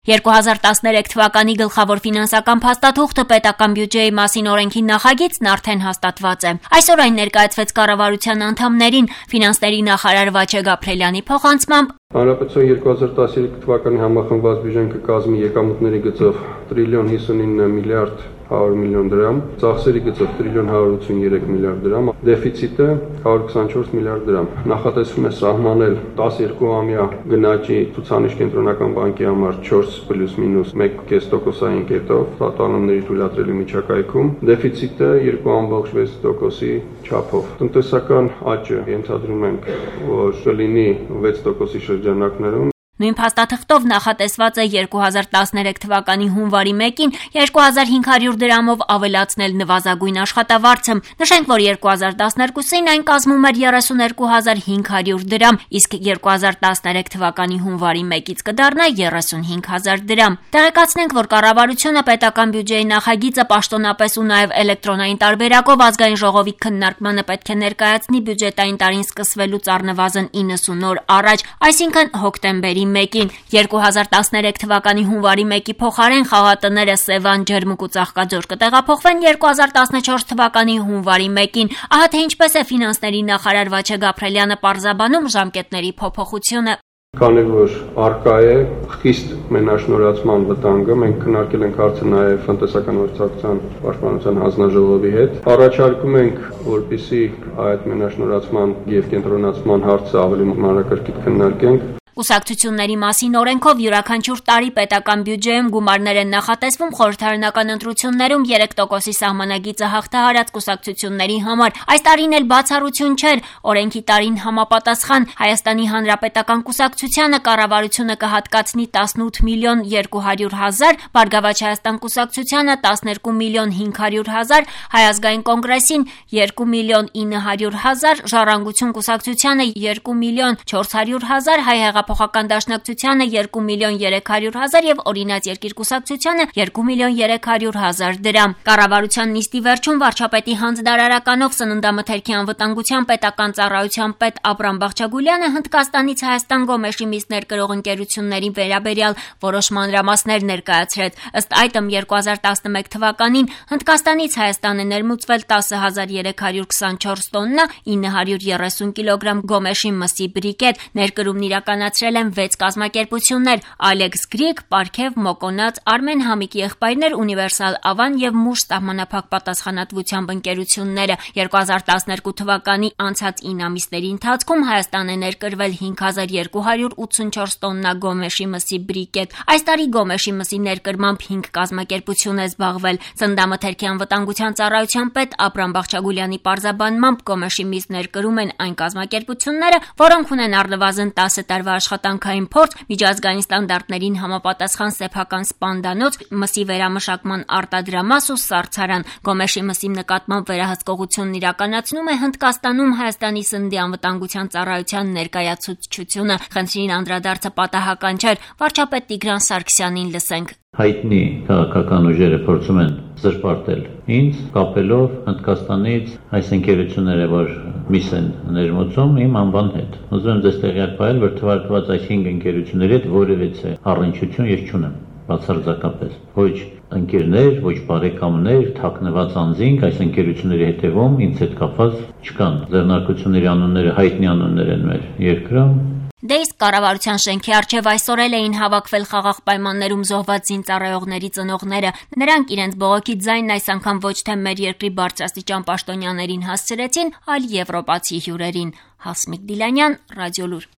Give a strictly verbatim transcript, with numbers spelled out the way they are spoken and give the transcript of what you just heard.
երկու հազար տասներեք թվականի գլխավոր ֆինանսական փաստաթուղթը պետական բյուջեի մասին օրենքի նախագիծն արդեն հաստատված է։ Այսօր այն ներկայացվեց կառավարության անդամներին։ Ֆինանսների նախարար Վաչե Գաբրելյանի փոխանցմամբ Հանրապետության երկու հազար տասներեք թվականի համախմբված բյուջեն կկազմի եկամուտների գծով տրիլիոն հիսունինը միլիարդ հարյուր միլիոն դրամ, ծախսերի գծով տրիլիոն հարյուր ութսուներեք միլիարդ դրամ, դեֆիցիտը հարյուր քսանչորս միլիարդ դրամ։ Նախատեսվում է սահմանել տասներկուամյա գնաճի ցուցանիշ կենտրոնական բանկի համար չորս պլյուս մինուս մեկ կես տոկոսային կետով տատանումների թույլատրելի միջակայքում, դեֆիցիտը երկու կόμma վեց տոկոսի չափով։ Տնտեսական աճը ենթադրում ենք, որ կլինի վեց տոկոսի շրջանակներում։ Նույն փաստաթղթով նախատեսված է երկու հազար տասներեք թվականի հունվարի մեկին երկու հազար հինգ հարյուր դրամով ավելացնել նվազագույն աշխատավարձը։ Նշենք, որ երկու հազար տասներկուսին այն կազմում էր երեսուներկու հազար հինգ հարյուր դրամ, իսկ երկու հազար տասներեք թվականի հունվարի մեկից կդառնա երեսունհինգ հազար դրամ։ Տեղեկացնենք, որ կառավարությունը պետական բյուջեի նախագիծը պաշտոնապես ու նաև էլեկտրոնային տարբերակով ազգային ժողովի քննարկմանը պետք է ներկայացնի բյուջետային տարին սկսվելուց առնվազն իննսուն օր առաջ, այսինքն հոկտեմբերի մեկին։ երկու հազար տասներեք թվականի հունվարի մեկի փոխարեն խաղատները Սևան, Ջերմուկ ու Ծաղկաձոր կտեղափոխվեն երկու հազար տասնչորս թվականի հունվարի մեկին։ Ահա թե ինչպես է ֆինանսների նախարար Վաչե Գաբրելյանը պարզաբանում ժամկետների փոփոխությունը։ Քանի որ արկա է խիստ մենաշնորհացման վտանգը, մենք քննարկել ենք հարցը նաև տնտեսական գործակցության պաշտպանության հանձնաժողովի հետ։ Առաջարկում ենք, որպեսզի այդ մենաշնորհացման եւ կենտրոնացման հարցը ավելի մանրակրկիտ քննարկենք։ Կուսակցությունների մասին օրենքով յուրաքանչյուր տարի պետական բյուջեում գումարներ են նախատեսվում խորհրդարանական ընտրություններում երեք տոկոսի սահմանագիծը հաղթահարած կուսակցությունների համար։ Այս տարին էլ բացառություն չէր։ Օրենքի տարին համապատասխան Հայաստանի Հանրապետական կուսակցությանը կառավարությունը կհատկացնի տասնութ միլիոն երկու հարյուր հազար, Բարգավաճ Հայաստան կուսակցությանը տասներկու միլիոն հինգ հարյուր հազար, Հայ ազգային կոնգրեսին երկու միլիոն ինը հարյուր հազար, Ժառանգություն կուսակցությանը երկու միլիոն չորս հարյուր հազար, Հայ Փոխական դաշնակցությանը երկու միլիոն երեք հարյուր հազար եւ Օրինաց երկիր կուսակցությանը երկու միլիոն երեք հարյուր հազար դրամ։ Կառավարության նիստի վերջում վարչապետի հանձնարարականով Սննդամթերքի անվտանգության պետական ծառայության պետ Աբրամ Բաղչագուլյանը Հնդկաստանից Հայաստան գոմեշի միս ներկրող ընկերությունների վերաբերյալ որոշ մանրամասներ ներկայացրեց։ Ըստ այդմ երկու հազար տասնմեկ թվականին Հնդկաստանից Հայաստան է ներմուծվել տասը հազար երեք հարյուր քսանչորս տոննա ինը հարյուր երեսուն կիլոգրամ գոմեշի մսի բրիկետ, ներկրումն իրականացրել են վեց կազմակերպություններ՝ Ալեքս Գրիգ, Պարքև, Մոկոնաց, Արմեն Համիկի եղբայրներ, Ունիվերսալ Ավան եւ Մուշ սահմանափակ պատասխանատվությամբ ընկերությունները։ երկու հազար տասներկու թվականի անցած ինը ամիսների ընթացքում Հայաստան է ներկրվել հինգ հազար երկու հարյուր ութսունչորս տոննա գոմեշի մսի բրիկետ։ Այս տարի գոմեշի մսի ներկրմամբ հինգ կազմակերպություն է զբաղվել։ Սննդամթերքի անվտանգության ծառայության պետ Աբրամ Բաղչագուլյանի պարզաբանմամբ գոմեշի միս ներկրում են այն կազմակերպությունները, որոնք ունեն առնվազն տասը տարվա աշխատանքային փորձ, միջազգային ստանդարտներին համապատասխան սեփական սպանդանոց, մսի վերամշակման արտադրամաս ու սառցարան։ Գոմեշի մսի նկատմամբ վերահսկողությունն իրականացնում է Հնդկաստանում Հայաստանի սննդի անվտանգության ծառայության ներկայացուցչությունը։ Խնդրին անդրադարձը պատահական չէր։ Վարչապետ Տիգրան Սարգսյանին լսենք։ Հայտնի քաղաքական ուժերը փորձում են զրպարտել ինձ, կապելով Հնդկաստանից այս ընկերությունները, որ միս են ներմուծում իմ անվան հետ։ Ուզում եմ ձեզ տեղյակ պահել, որ թվարկված այս հինգ ընկերությունների հետ որևէ առնչություն ես չունեմ, բացարձակապես։ Ոչ ընկերներ, ոչ բարեկամներ, թաքնված անձինք այս ընկերությունների հետևում ինձ հետ կապված չկան։ Ձեռնարկությունների անունները հայտնի անուններ են մեր երկրում։ Դե իսկ կառավարության շենքի առջև այսօր էլ էին հավաքվել խաղաղ պայմաններում զոհված զինծառայողների ծնողները։ Նրանք իրենց բողոքի ձայնն այս անգամ ոչ թե մեր երկրի բարձրաստիճան պաշտոնյաներին հասցրեցին, այլ եվրոպացի հյուրերին։ Հասմիկ Դիլանյան, Ռադիոլուր։